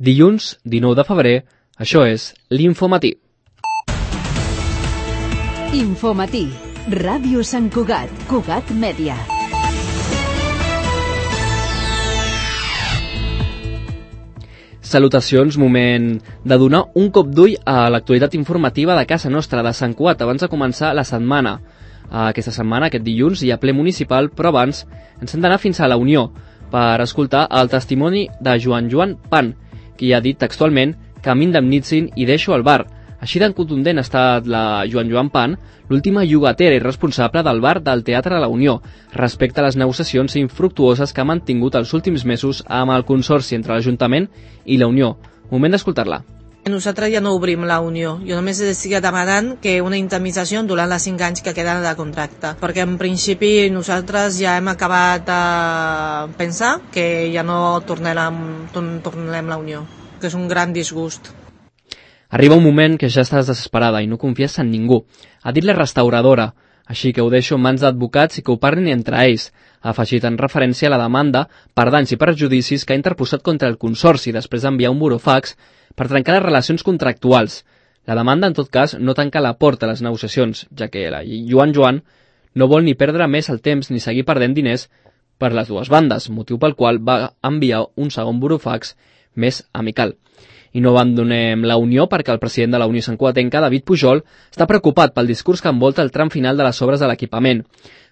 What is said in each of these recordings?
Dilluns, 19 de febrer, això és l'Infomatí. Infomatí, Ràdio Sant Cugat, Cugat Mèdia. Salutacions, moment de donar un cop d'ull a l'actualitat informativa de casa nostra, de Sant Cugat, abans de començar la setmana. Aquesta setmana, aquest dilluns, hi ha ple municipal, però abans ens hem d'anar fins a la Unió per escoltar el testimoni de Joan Pan, qui ha dit textualment que m'indemnitzin i deixo el bar. Així de contundent ha estat la Joan Pan, l'última llogatera i responsable del bar del Teatre de la Unió, respecte a les negociacions infructuoses que ha mantingut els últims mesos amb el consorci entre l'Ajuntament i la Unió. Moment d'escoltar-la. Nosaltres ja no obrim la Unió. Jo només estic demanant que una indemnització durant els 5 anys que queden de contracte, perquè en principi nosaltres ja hem acabat de pensar que ja no tornarem la Unió, que és un gran disgust. Arriba un moment que ja estàs desesperada i no confies en ningú. Ha dit la restauradora, així que ho deixo en mans d'advocats i que ho parlin entre ells, ha afegit en referència a la demanda per danys i perjudicis que ha interposat contra el consorci després d'enviar un burofax per trencar les relacions contractuals. La demanda, en tot cas, no tanca la porta a les negociacions, ja que la Joan no vol ni perdre més el temps ni seguir perdent diners per les dues bandes, motiu pel qual va enviar un segon burofax més amical. I no abandonem la Unió perquè el president de la Unió Santcugatenca, David Pujol, està preocupat pel discurs que envolta el tram final de les obres de l'equipament.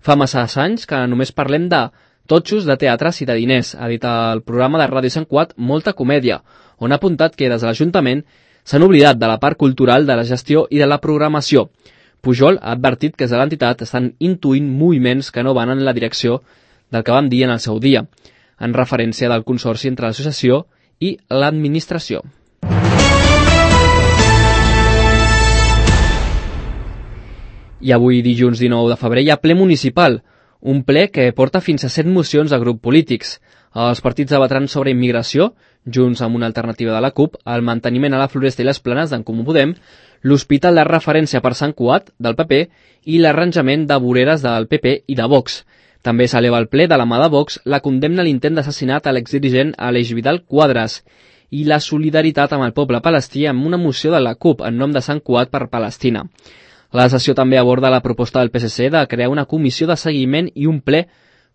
Fa massa anys que només parlem de totxos, de teatres i de diners, ha dit el programa de Ràdio Sant Cugat Molta Comèdia, on ha apuntat que des de l'Ajuntament s'han oblidat de la part cultural, de la gestió i de la programació. Pujol ha advertit que des de l'entitat estan intuint moviments que no van en la direcció del que vam dir en el seu dia, en referència del consorci entre l'associació i l'administració. I avui, dilluns 19 de febrer, hi ha ple municipal, un ple que porta fins a 7 mocions de grups polítics. Els partits debatran sobre immigració, junts amb una alternativa de la CUP, el manteniment a la Floresta i les Planes d'en Comú Podem, l'hospital de referència per Sant Cugat, del PP, i l'arranjament de voreres del PP i de Vox. També s'eleva al ple de la mà de Vox la condemna a l'intent d'assassinat a l'exdirigent Aleix Vidal Quadras i la solidaritat amb el poble palestí amb una moció de la CUP en nom de Sant Cugat per Palestina. La sessió també aborda la proposta del PSC de crear una comissió de seguiment i un ple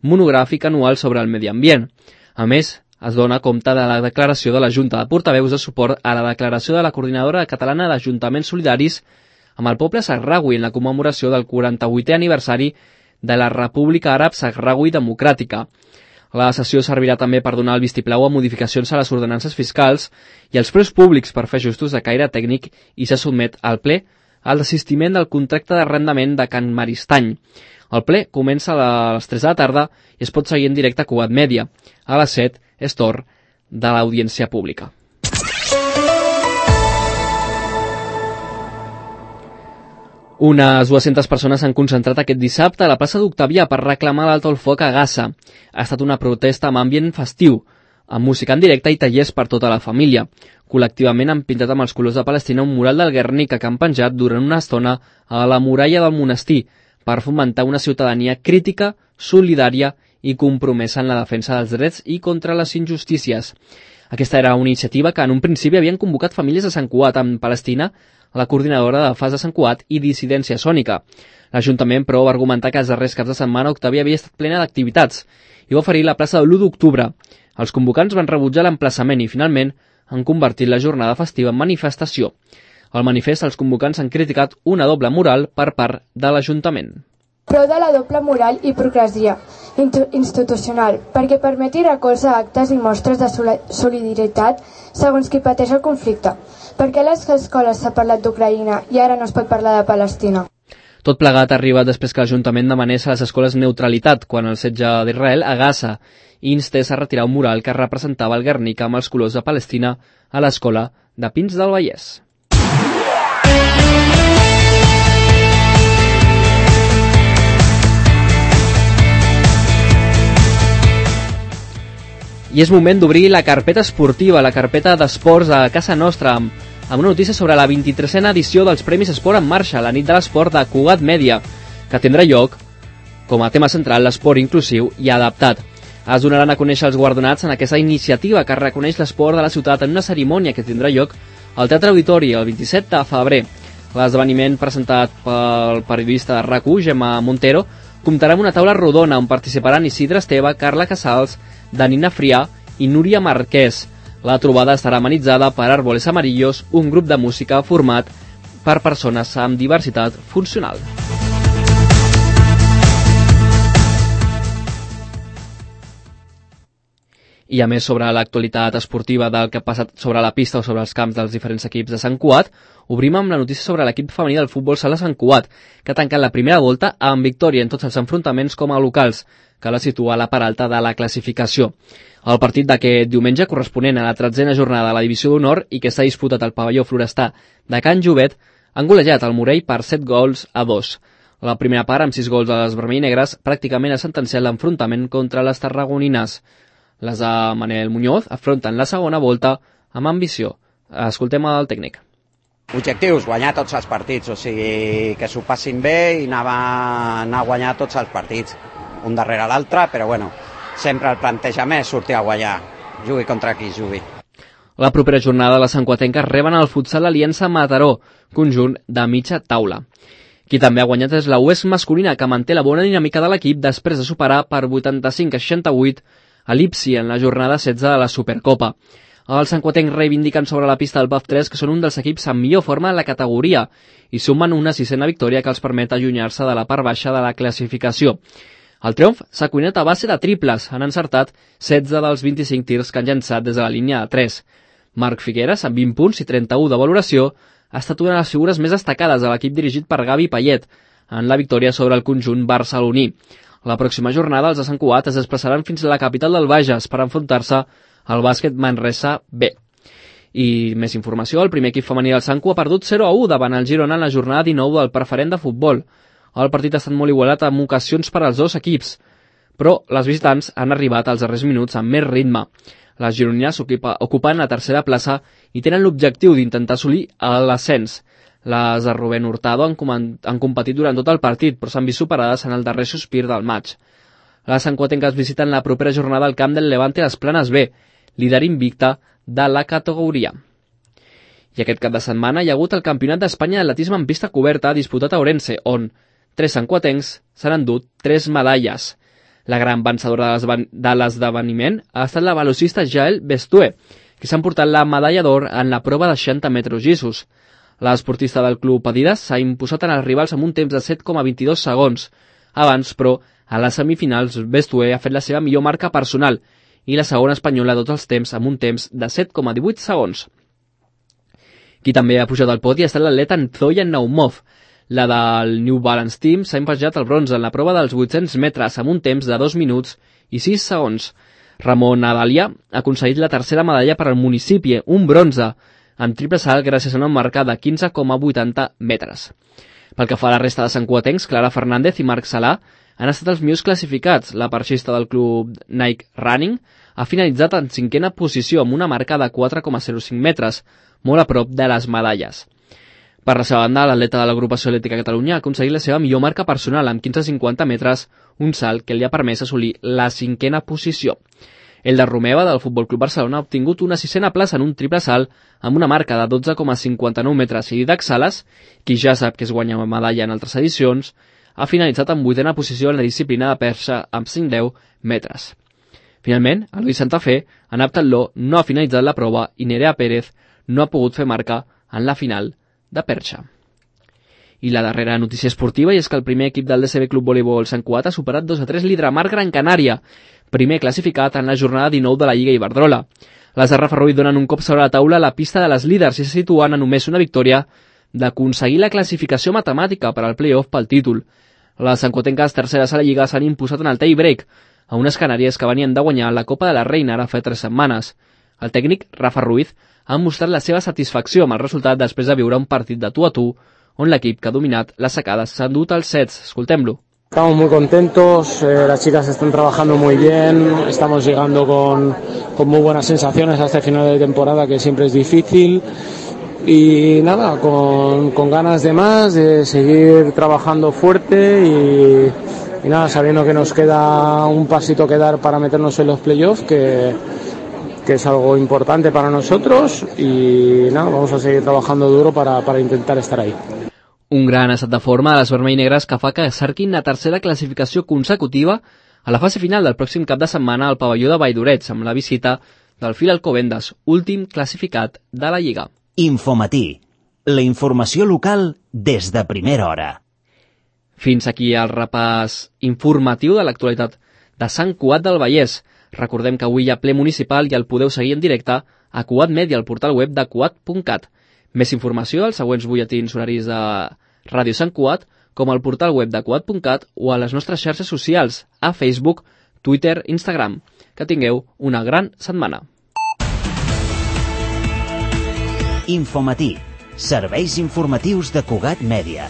monogràfic anual sobre el medi ambient. A més, es dona compte de la declaració de la Junta de Portaveus de suport a la declaració de la Coordinadora Catalana d'Ajuntaments Solidaris amb el poble sahraui en la commemoració del 48è aniversari de la República Àrab Sahraui Democràtica. La sessió servirà també per donar el vistiplau a modificacions a les ordenances fiscals i als preus públics per fer ajustos de caire tècnic i se sotmet al ple el desistiment del contracte d'arrendament de Can Maristany. El ple comença a les 3 de la tarda i es pot seguir en directe a Cugat Mèdia. A les 7 és torn de l'audiència pública. Unes 200 persones s'han concentrat aquest dissabte a la plaça d'Octavià per reclamar l'alto el foc a Gaza. Ha estat una protesta amb ambient festiu, amb música en directe i tallers per tota la família. Col·lectivament han pintat amb els colors de Palestina un mural del Guernica que han penjat durant una estona a la muralla del monestir per fomentar una ciutadania crítica, solidària i compromesa en la defensa dels drets i contra les injustícies. Aquesta era una iniciativa que en un principi havien convocat famílies de Sant Cugat amb Palestina, la coordinadora de FAS de Sant Cugat i Dissidència Sònica. L'Ajuntament, però, va argumentar que els darrers caps de setmana Octavià havia estat plena d'activitats i va oferir la plaça de l'1 d'octubre. Els convocants van rebutjar l'emplaçament i, finalment, han convertit la jornada festiva en manifestació. Al manifest, els convocants han criticat una doble moral per part de l'Ajuntament. Prou de la doble moral i hipocresia institucional, perquè permeti recolzar actes i mostres de solidaritat segons qui pateix el conflicte. Per què a les escoles s'ha parlat d'Ucraïna i ara no es pot parlar de Palestina? Tot plegat ha arribat després que l'Ajuntament demanés a les escoles neutralitat quan el setge d'Israel a Gaza i instés a retirar un mural que representava el Guernica amb els colors de Palestina a l'escola de Pins del Vallès. I és moment d'obrir la carpeta esportiva, la carpeta d'esports a casa nostra, amb una notícia sobre la 23a edició dels Premis Esport en Marxa, la nit de l'esport de Cugat Mèdia, que tindrà lloc com a tema central l'esport inclusiu i adaptat. Es donaran a conèixer els guardonats en aquesta iniciativa que reconeix l'esport de la ciutat en una cerimònia que tindrà lloc al Teatre Auditori el 27 de febrer. L'esdeveniment presentat pel periodista de RAC1, Gemma Montero, comptarà amb una taula rodona on participaran Isidre Esteve, Carla Casals, Danina Frià i Núria Marquès. La trobada estarà amenitzada per Árboles Amarillos, un grup de música format per persones amb diversitat funcional. I a més sobre l'actualitat esportiva del que ha passat sobre la pista o sobre els camps dels diferents equips de Sant Cugat, obrim amb la notícia sobre l'equip femení del futbol sala Sant Cugat, que ha tancat la primera volta amb victòria en tots els enfrontaments com a locals, que la situa a la part alta de la classificació. El partit d'aquest diumenge, corresponent a la 13a jornada de la Divisió d'Honor i que s'ha disputat al pavelló Florestà de Can Jovet, han golejat el Morell per 7-2. La primera part, amb 6 gols a les vermell i negres, pràcticament ha sentenciat l'enfrontament contra les tarragonines. Les de Manel Muñoz afronten la segona volta amb ambició. Escoltem el tècnic. Objectius, guanyar tots els partits, o sigui, que s'ho passin bé i anar a guanyar tots els partits, un darrere l'altre, però bueno, sempre el plantejament és sortir a guanyar, jugui contra qui jugui. La propera jornada les santcuatenques reben el futsal Aliança Mataró, conjunt de mitja taula. Qui també ha guanyat és la UES masculina, que manté la bona dinàmica de l'equip després de superar per 85-68 a l'Ipsi en la jornada 16 de la Supercopa. Els santcuatencs reivindiquen sobre la pista del PAF 3 que són un dels equips amb millor forma de la categoria i sumen una 6a victòria que els permet allunyar-se de la part baixa de la classificació. El triomf s'ha cuinat a base de triples, han encertat 16 dels 25 tirs que han llançat des de la línia de 3. Marc Figueres, amb 20 punts i 31 de valoració, ha estat una de les figures més destacades de l'equip dirigit per Gavi Payet en la victòria sobre el conjunt barceloní. La pròxima jornada els de Sant Cugat es desplaçaran fins a la capital del Bages per enfrontar-se al bàsquet Manresa B. I més informació, el primer equip femení del Sant Cugat ha perdut 0-1 davant el Girona en la jornada 19 del preferent de futbol. El partit ha estat molt igualat amb ocasions per als dos equips, però les visitants han arribat als darrers minuts amb més ritme. Les gironines ocupen la tercera plaça i tenen l'objectiu d'intentar assolir l'ascens. Les de Rubén Hurtado han competit durant tot el partit, però s'han vist superades en el darrer sospir del maig. Les santcuatenques visiten la propera jornada al camp del Levante a les Planes B, líder invicta de la categoria. I aquest cap de setmana hi ha hagut el Campionat d'Espanya d'atletisme en pista coberta disputat a Ourense, on 3 santcuatencs s'han endut 3 medalles. La gran vencedora de l'esdeveniment ha estat la velocista Jael Bestué, que s'ha emportat la medalla d'or en la prova de 60 metres llisos. L'esportista del club Adidas s'ha imposat en els rivals amb un temps de 7,22 segons. Abans, però, a les semifinals, Bestué ha fet la seva millor marca personal i la segona espanyola de tots els temps amb un temps de 7,18 segons. Qui també ha pujat al podi ha estat l'atleta Nzoya Naumov. La del New Balance Team s'ha impejat el bronze en la prova dels 800 metres amb un temps de 2 minuts i 6 segons. Ramon Nadalia ha aconseguit la tercera medalla per al municipi, un bronze, en triple salt gràcies a una marca de 15,80 metres. Pel que fa a la resta de santcuatencs, Clara Fernández i Marc Salà han estat els millors classificats. La parxista del club Nike Running ha finalitzat en 5a posició amb una marca de 4,05 metres, molt a prop de les medalles. Per la seva banda, l'atleta de l'Agrupació Atlètica Catalunya ha aconseguit la seva millor marca personal amb 15,50 metres, un salt que li ha permès assolir la 5a posició. El de Romeva, del Futbol Club Barcelona, ha obtingut una 6a plaça en un triple salt amb una marca de 12,59 metres i Didac Sales, qui ja sap que es guanya una medalla en altres edicions, ha finalitzat en 8a posició en la disciplina de perxa amb 5,10 metres. Finalment, el Luis Santa Fe, en heptatló, no ha finalitzat la prova i Nerea Pérez no ha pogut fer marca en la final de perxa. I la darrera notícia esportiva és que el primer equip del DCB Club Voleibol Sant Cugat ha superat 2-3 l'Hidramar Gran Canària, primer classificat en la jornada 19 de la Lliga Iberdrola. Les de Rafa Ruiz donen un cop sobre la taula a la pista de les líders i se situen a només una victòria d'aconseguir la classificació matemàtica per al play-off pel títol. Les santcuatenques terceres a la Lliga s'han imposat en el tie-break a unes canàries que venien de guanyar la Copa de la Reina ara fa 3 setmanes. El tècnic, Rafa Ruiz, ha mostrat la seva satisfacció amb el resultat després de viure un partit de tu a tu on l'equip que ha dominat les sacades s'ha endut als sets. Escoltem-lo. Estamos muy contentos, las chicas están trabajando muy bien, estamos llegando con muy buenas sensaciones a este final de temporada que siempre es difícil y nada, con ganas de más, de seguir trabajando fuerte nada, sabiendo que nos queda un pasito que dar para meternos en los playoffs, que es algo importante para nosotros, y nada, vamos a seguir trabajando duro para intentar estar ahí. Un gran estat de forma de les vermell negres que fa que cerquin la tercera classificació consecutiva a la fase final del pròxim cap de setmana al pavelló de Valldorets, amb la visita del Fil Alcobendas, últim classificat de la Lliga. Infomatí, la informació local des de primera hora. Fins aquí el repàs informatiu de l'actualitat de Sant Cugat del Vallès. Recordem que avui hi ha ple municipal i el podeu seguir en directe a Cugat Media, al portal web de cugat.cat. Més informació als següents butlletins horaris de Ràdio Sant Cugat, com al portal web de cugat.cat o a les nostres xarxes socials, a Facebook, Twitter, Instagram. Que tingueu una gran setmana. Infomatí, serveis informatius de Cugat Mèdia.